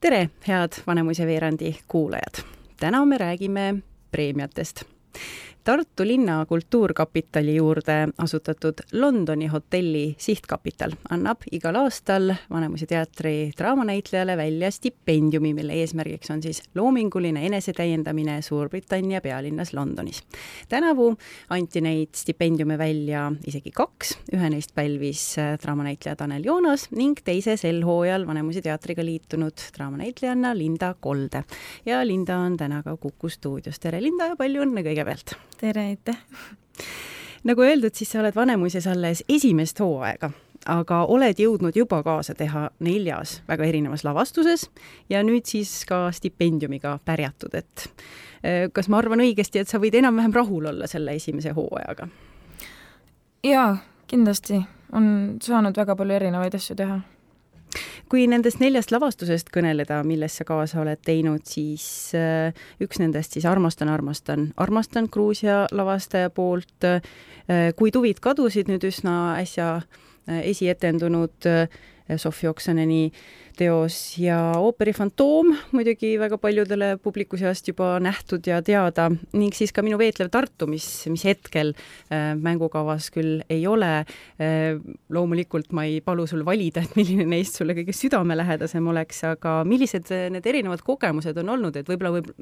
Tere, head Vanemuise veerandi kuulajad! Täna me räägime preemiatest. Tartu linna kultuurkapitali juurde asutatud Londoni hotelli sihtkapital annab igal aastal Vanemuise teatri draamanäitlejale välja stipendiumi, mille eesmärgiks on siis loominguline enesetäiendamine Suurbritannia pealinnas Londonis. Tänavu anti neid stipendiume välja isegi 2. Ühe neist pälvis draamanäitleja Tanel Joonas ning teise sel hooajal Vanemuise teatriga liitunud draamanäitlejanna Linda Kolde. Ja Linda on täna ka Kuku stuudios. Tere Linda ja palju õnne kõigepealt! Tere, aitäh! Nagu öeldud, siis sa oled Vanemuises alles esimest hooaega, aga oled jõudnud juba kaasa teha 4 väga erinevas lavastuses ja nüüd siis ka stipendiumiga pärjatud. Kas ma arvan õigesti, et sa võid enam-vähem rahul olla selle esimese hooajaga? Jaa, kindlasti on saanud väga palju erinevaid asju teha. Kui nendest 4 lavastusest kõneleda, milles sa kaasa oled teinud, siis üks nendest siis Armastan Gruusia lavastaja poolt. Kui tuvid kadusid nüüd üsna äsja esietendunud Sofi Oksaneni teos ja ooperi Fantoom, muidugi väga paljudele publiku seast juba nähtud ja teada, ning siis ka Minu veetlev Tartu, mis hetkel mängukavas küll ei ole. Loomulikult ma ei palu sul valida, et milline neist sulle kõige südamelähedasem oleks, aga millised need erinevad kogemused on olnud, et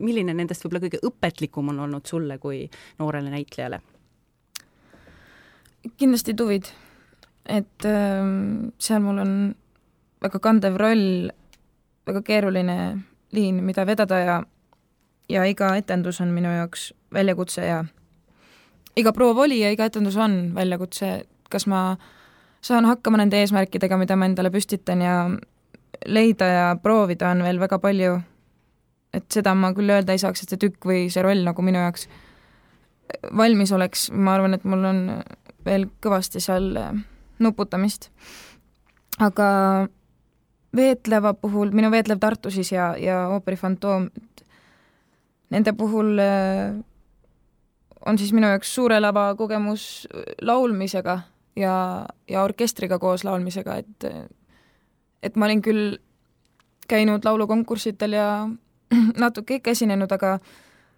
milline nendest võib-olla kõige õpetlikum on olnud sulle kui noorele näitlejale? Kindlasti tuvid. Et seal mul on väga kandev roll, väga keeruline liin, mida vedada ja iga etendus on minu jaoks väljakutse ja iga proov oli ja iga etendus on väljakutse. Kas ma saan hakkama nende eesmärkidega, mida ma endale püstitan ja leida ja proovida on veel väga palju. Et seda ma küll öelda ei saaks, et see tükk või see roll nagu minu jaoks valmis oleks. Ma arvan, et mul on veel kõvasti seal nuputamist. Aga veetleva puhul, Minu veetlev Tartu siis ja ooperi Fantoom, nende puhul on siis minu jaoks suure lava kogemus laulmisega ja orkestriga koos laulmisega, et ma olin küll käinud laulukonkursitel ja natuke ikka esinenud, aga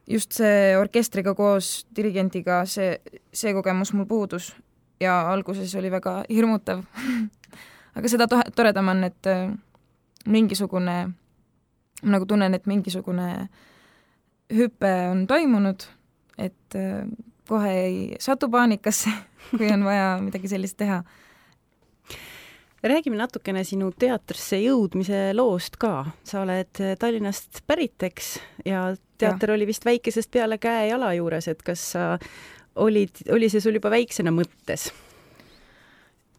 just see orkestriga koos dirigendiga, see kogemus mul puudus. Ja alguses oli väga hirmutav. Aga seda toredam on, et mingisugune, nagu tunnen, et mingisugune hüpe on toimunud, et kohe ei satu paanikasse, kui on vaja midagi sellist teha. Räägime natukene sinu teatrisse jõudmise loost ka. Sa oled Tallinnast päriteks ja teater oli vist väikesest peale käe jala juures, et kas sa oli see sul juba väiksena mõttes?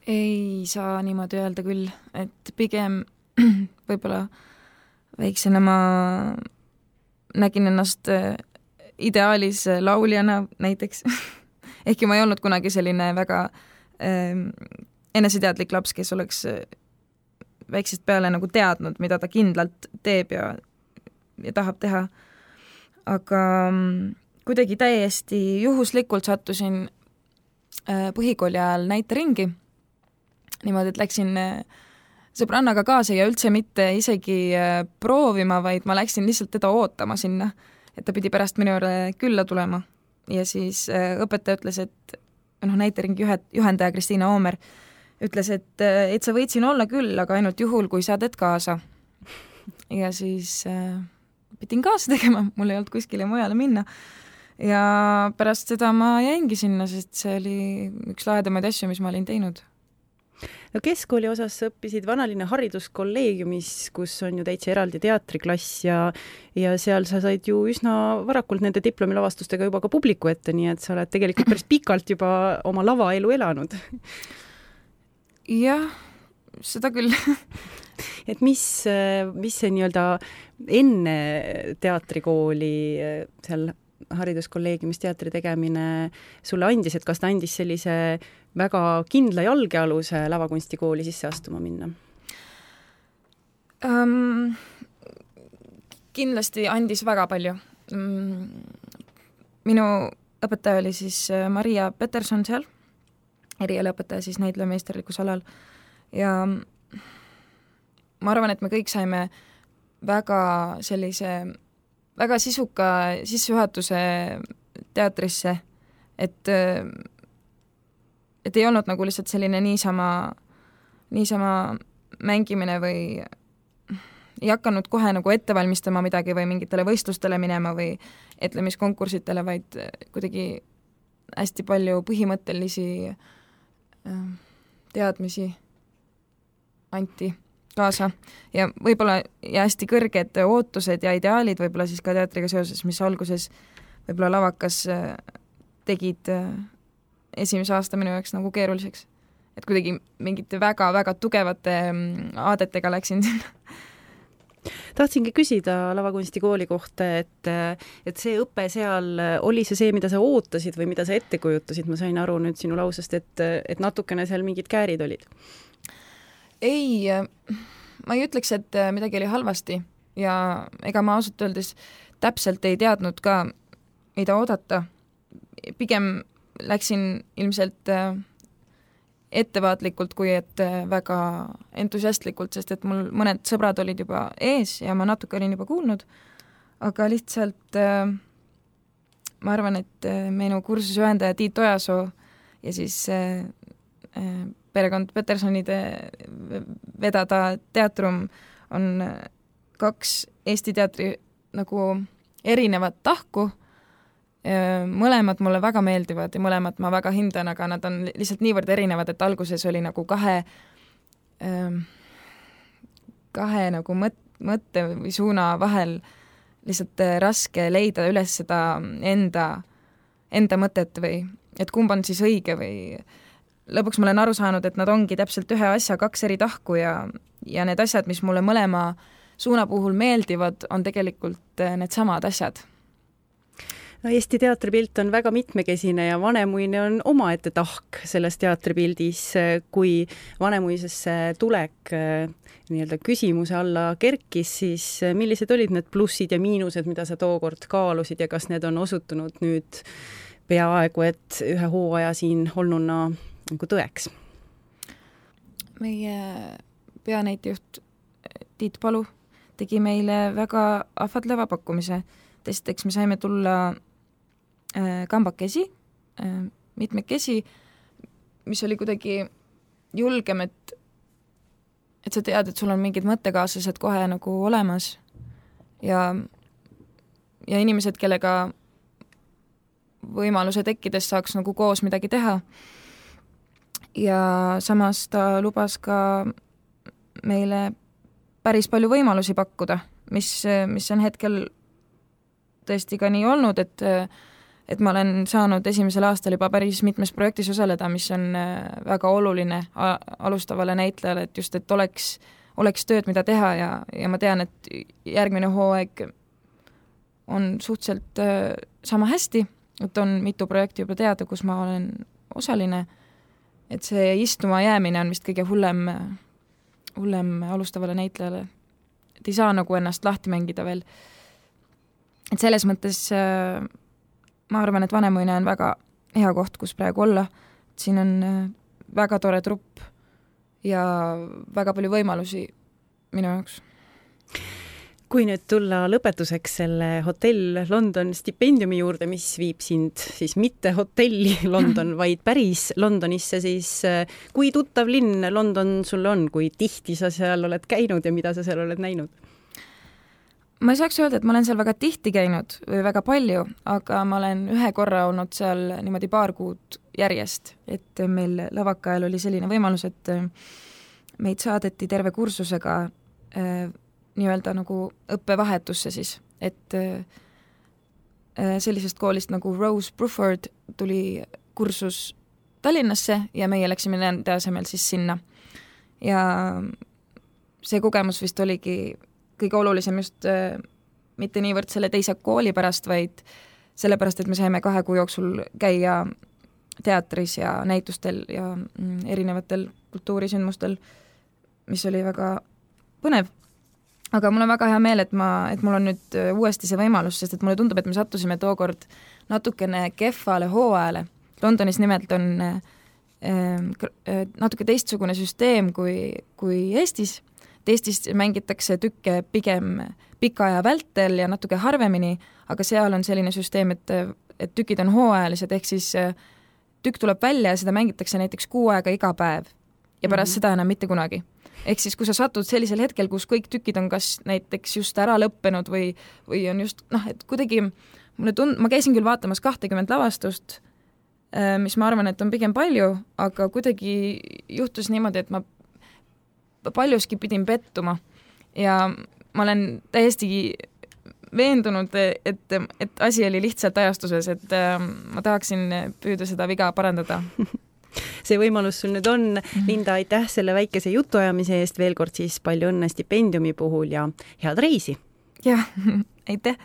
Ei saa niimoodi öelda küll, et pigem võib-olla väiksena ma nägin ennast ideaalis lauljana näiteks. Ehkki ma ei olnud kunagi selline väga eneseteadlik laps, kes oleks väiksest peale nagu teadnud, mida ta kindlalt teeb ja tahab teha. Aga kuidagi täiesti juhuslikult sattusin põhikooli ajal näiteringi. Niimoodi, et läksin sõbrannaga kaasa ja üldse mitte isegi proovima, vaid ma läksin lihtsalt teda ootama sinna, et ta pidi pärast minu külla tulema. Ja siis õpetaja ütles, et näiteringi juhendaja Kristiina Oomer ütles, et sa võid siin olla küll, aga ainult juhul, kui sa teed kaasa. Ja siis pidin kaasa tegema, mul ei olnud kuskile mujale minna. Ja pärast seda ma jäingi sinna, sest see oli üks lahedamaid asju, mis ma olin teinud. No keskkooli osas sa õppisid Vanalinna hariduskolleegiumis, kus on ju täitsa eraldi teatriklass ja seal sa said ju üsna varakult nende diplomilavastustega juba ka publiku ette, nii et sa oled tegelikult päris pikalt juba oma lavaelu elanud. Jah, seda küll. Et mis see nii-öelda enne teatrikooli seal hariduskolleegiumis teatri tegemine sulle andis, et kas ta andis sellise väga kindla jalgealuse lavakunstikooli sisse astuma minna? Kindlasti andis väga palju. Minu õpetaja oli siis Maria Peterson seal, erialaõpetaja siis näitlemeisterlikus alal ja ma arvan, et me kõik saime väga sellise, väga sisuka sissejuhatuse teatrisse, et ei olnud nagu lihtsalt selline niisama mängimine või ei hakanud kohe nagu ette valmistama midagi või mingitele võistlustele minema või etlemiskonkursitele, vaid kuidagi hästi palju põhimõttelisi teadmisi anti kaasa ja võib-olla ja hästi kõrged ootused ja ideaalid võib-olla siis ka teatriga seoses, mis alguses võib-olla lavakas tegid esimese aasta minu jaoks nagu keeruliseks. Et kuidagi mingite väga-väga tugevate aadetega läksin sinna. Tahtsingi küsida lavakunstikooli kohta, et see õpe seal, oli see, mida sa ootasid või mida sa ette kujutasid? Ma sain aru nüüd sinu lausest, et natukene seal mingid käärid olid. Ei, ma ei ütleks, et midagi oli halvasti ja ega ma ausalt öeldes täpselt ei teadnud ka, mida oodata. Pigem läksin ilmselt ettevaatlikult, kui et väga entusiastlikult, sest et mul mõned sõbrad olid juba ees ja ma natuke olin juba kuulnud, aga lihtsalt ma arvan, et minu kursusjuhendaja Tiit Ojasoo ja siis perekond Petersonide vedada teatrum on kaks Eesti teatri nagu erinevat tahku. Mõlemad mulle väga meeldivad ja mõlemad ma väga hindan, aga nad on lihtsalt niivõrd erinevad, et alguses oli nagu kahe nagu mõtte või suuna vahel lihtsalt raske leida üles seda enda mõtet või et kumb on siis õige või lõpuks ma olen aru saanud, et nad ongi täpselt ühe asja kaks eri tahku ja need asjad, mis mulle mõlema suuna puhul meeldivad, on tegelikult need samad asjad. No, Eesti teatripilt on väga mitmekesine ja Vanemuine on omaette tahk selles teatripildis, kui Vanemuisesse tulek nii-öelda küsimuse alla kerkis, siis millised olid need plussid ja miinused, mida sa tookord kaalusid ja kas need on osutunud nüüd peaaegu, et ühe hooaja siin olnuna nagu tõeks? Meie peanäitejuht Tiit Palu tegi meile väga ahvatleva pakkumise. Esiteks me saime tulla kambakesi, mitmekesi, mis oli kuidagi julgem, et sa tead, et sul on mingid mõttekaaslased kohe nagu olemas ja inimesed, kellega võimaluse tekkides saaks nagu koos midagi teha. Ja samas ta lubas ka meile päris palju võimalusi pakkuda, mis on hetkel tõesti ka nii olnud, et ma olen saanud esimesel aastal juba päris mitmes projektis osaleda, mis on väga oluline alustavale näitlejale, et just, et oleks tööd, mida teha ja ma tean, et järgmine hooaeg on suhteliselt sama hästi, et on mitu projekti juba teada, kus ma olen osaline, et see istuma jäämine on vist kõige hullem alustavale näitlejale, et ei saa nagu ennast lahti mängida veel. Et selles mõttes ma arvan, et Vanemuine on väga hea koht, kus praegu olla. Siin on väga tore trupp ja väga palju võimalusi minu jaoks. Kui nüüd tulla lõpetuseks selle Hotell London stipendiumi juurde, mis viib sind siis mitte hotelli London, vaid päris Londonisse, siis kui tuttav linn London sul on, kui tihti sa seal oled käinud ja mida sa seal oled näinud? Ma ei saaks öelda, et ma olen seal väga tihti käinud või väga palju, aga ma olen ühe korra olnud seal niimoodi paar kuud järjest, et meil lavaka ajal oli selline võimalus, et meid saadeti terve kursusega nii-öelda nagu õppevahetusse siis, et sellisest koolist nagu Rose Bruford tuli kursus Tallinnasse ja meie läksime nende asemel siis sinna. Ja see kogemus vist oligi kõige olulisem just mitte niivõrd selle teise kooli pärast, vaid sellepärast, et me saime 2 kuu jooksul käia teatris ja näitustel ja erinevatel kultuurisündmustel, mis oli väga põnev. Aga mul on väga hea meel, et mul on nüüd uuesti see võimalus, sest et mulle tundub, et me sattusime tookord natukene kehvale hooajale. Londonis nimelt on natuke teistsugune süsteem kui Eestis. et Eestis mängitakse tükke pigem pika aja vältel ja natuke harvemini, aga seal on selline süsteem, et tükid on hooajalised, ehk siis tükk tuleb välja ja seda mängitakse näiteks 6 aega iga päev ja pärast seda enam mitte kunagi. Ehk siis, kui sa satud sellisel hetkel, kus kõik tükid on kas näiteks just ära lõppenud või on just, et kuidagi ma käisin küll vaatamas 20 lavastust, mis ma arvan, et on pigem palju, aga kuidagi juhtus niimoodi, et ma paljuski pidin pettuma ja ma olen täiesti veendunud, et asi oli lihtsalt ajastuses, et ma tahaksin püüda seda viga parandada. See võimalus sul nüüd on. Linda, aitäh selle väikese jutuajamise eest, veel kord siis palju õnne stipendiumi puhul ja head reisi! Jah, aitäh!